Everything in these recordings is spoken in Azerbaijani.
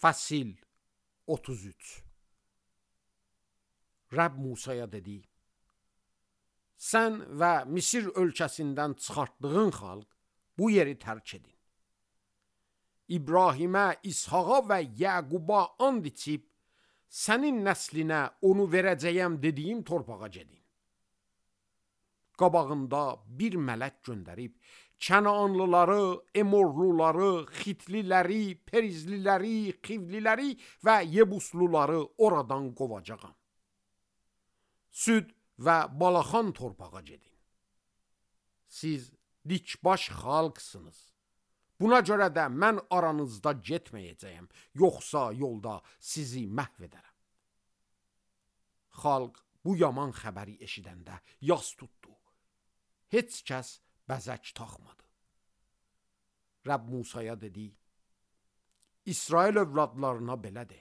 Fəsil 33. Rəbb Musaya dedi: Sən və Misir ölkəsindən çıxartdığın xalq bu yeri tərk edin. İbrahimə, İshaqa və Yəquba and içib, sənin nəslinə onu verəcəyəm dediyim torpağa gedin. Qabağında bir mələk göndərib, Kənaanlıları, Emorluları, Xitliləri, Perizliləri, Xivliləri və Yebusluları oradan qovacağam. Süd və balaxan torpağa gedin. Siz dikbaş xalqsınız. Buna görə də mən aranızda getməyəcəyəm, yoxsa yolda sizi məhv edərəm. Xalq bu yaman xəbəri eşidəndə yas tutdu. Heç kəs bəzək taxmadı. Rəbb Musaya dedi: İsrail övladlarına belə de: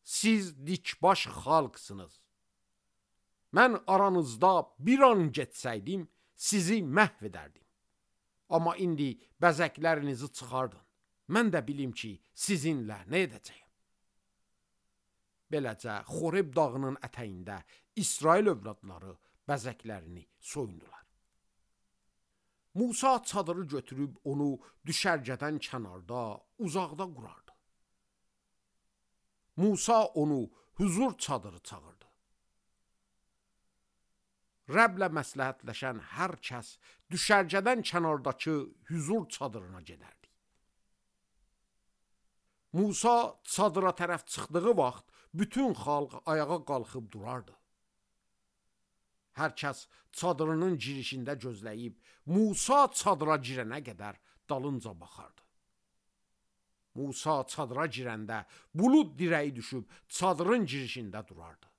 Siz dikbaş xalqsınız. Mən aranızda bir an getsəydim, sizi məhv edərdim. Amma indi bəzəklərinizi çıxardın. Mən də bilim ki, sizinlə nə edəcəyəm. Beləcə, Xoreb dağının ətəyində İsrail övladları bəzəklərini soyundular. Musa çadırı götürüb onu düşərgədən kənarda, uzaqda qurardı. Musa onu huzur çadırı çağırdı. Rəblə məsləhətləşən hər kəs düşərgədən kənardakı huzur çadırına gedərdi. Musa çadıra tərəf çıxdığı vaxt bütün xalq ayağa qalxıb durardı. Hər kəs çadırının girişində gözləyib, Musa çadıra girənə qədər dalınca baxardı. Musa çadıra girəndə bulud dirəyi düşüb çadırın girişində durardı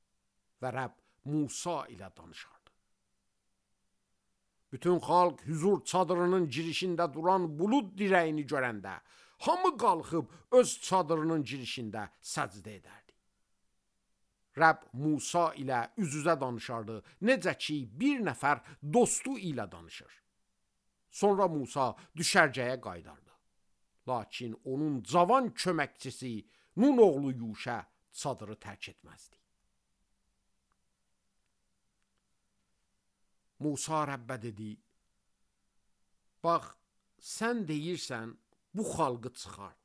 və Rəbb Musa ilə danışardı. Bütün xalq huzur çadırının girişində duran bulud dirəyini görəndə hamı qalxıb öz çadırının girişində səcdə edərdi. Rəbb Musa ilə üz-üzə danışardı, necə ki bir nəfər dostu ilə danışır. Sonra Musa düşərgəyə qayıdardı. Lakin onun cavan köməkçisi Nun oğlu Yuşə çadırı tərk etməzdi. Musa Rəbbə dedi: Bax, sən deyirsən, bu xalqı çıxart.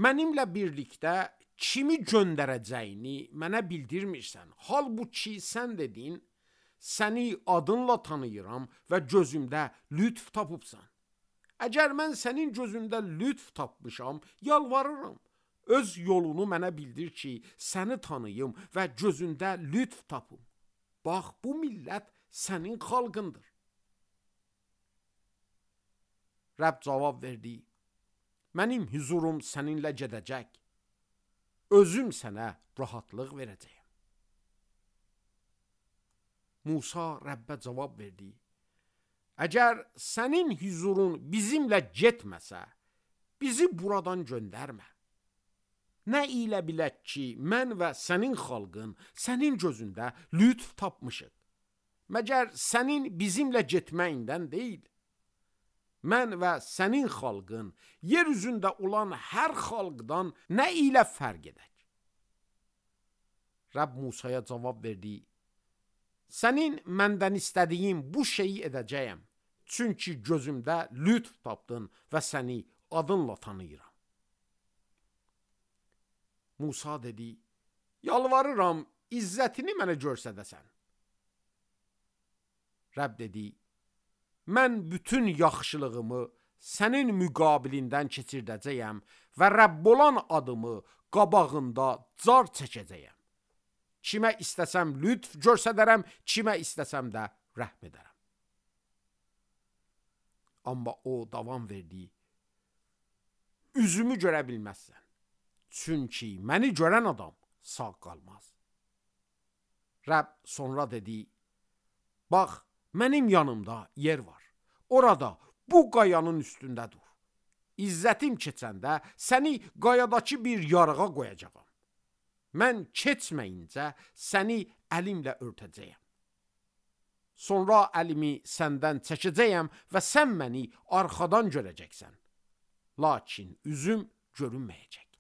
Mənimlə birlikdə kimi göndərəcəyini mənə bildirmirsən. Halbuki sən dedin, səni adınla tanıyıram və gözümdə lütf tapıbsan. Əgər mən sənin gözündə lütf tapmışam, yalvarıram. Öz yolunu mənə bildir ki, səni tanıyım və gözündə lütf tapım. Bax, bu millət sənin xalqındır. Rəbb cavab verdi: Mənim huzurum səninlə gedəcək. Özüm sənə rahatlıq verəcəyəm. Musa Rəbbə cavab verdi: Əgər sənin huzurun bizimlə getməsə, bizi buradan göndərmə. Nə ilə bilək ki, mən və sənin xalqın sənin gözündə lütf tapmışıq. Məgər sənin bizimlə getməyindən deyil. Mən və sənin xalqın yer üzündə olan hər xalqdan nə ilə fərq edək? Rəbb Musaya cavab verdi: Sənin məndən istədiyin bu şeyi edəcəyəm. Çünki gözümdə lütf tapdın və səni adınla tanıyıram. Musa dedi: Yalvarıram, izzətini mənə göstərəsən. Rəbb dedi: Mən bütün yaxşılığımı sənin müqabilindən keçirdəcəyəm və Rəbb olan adımı qabağında car çəkəcəyəm. Kimə istəsəm lütf göstərərəm, kimə istəsəm də rəhm edərəm. Amma o davam verdi: Üzümü görə bilməzsən. Çünki məni görən adam sağ qalmaz. Rəbb sonra dedi: Bax, mənim yanımda yer var. Orada bu qayanın üstündə dur. İzzətim keçəndə səni qayadakı bir yarığa qoyacağam. Mən keçməyincə səni əlimlə örtəcəyəm. Sonra əlimi səndən çəkəcəyəm və sən məni arxadan görəcəksən. Lakin üzüm görünməyəcək.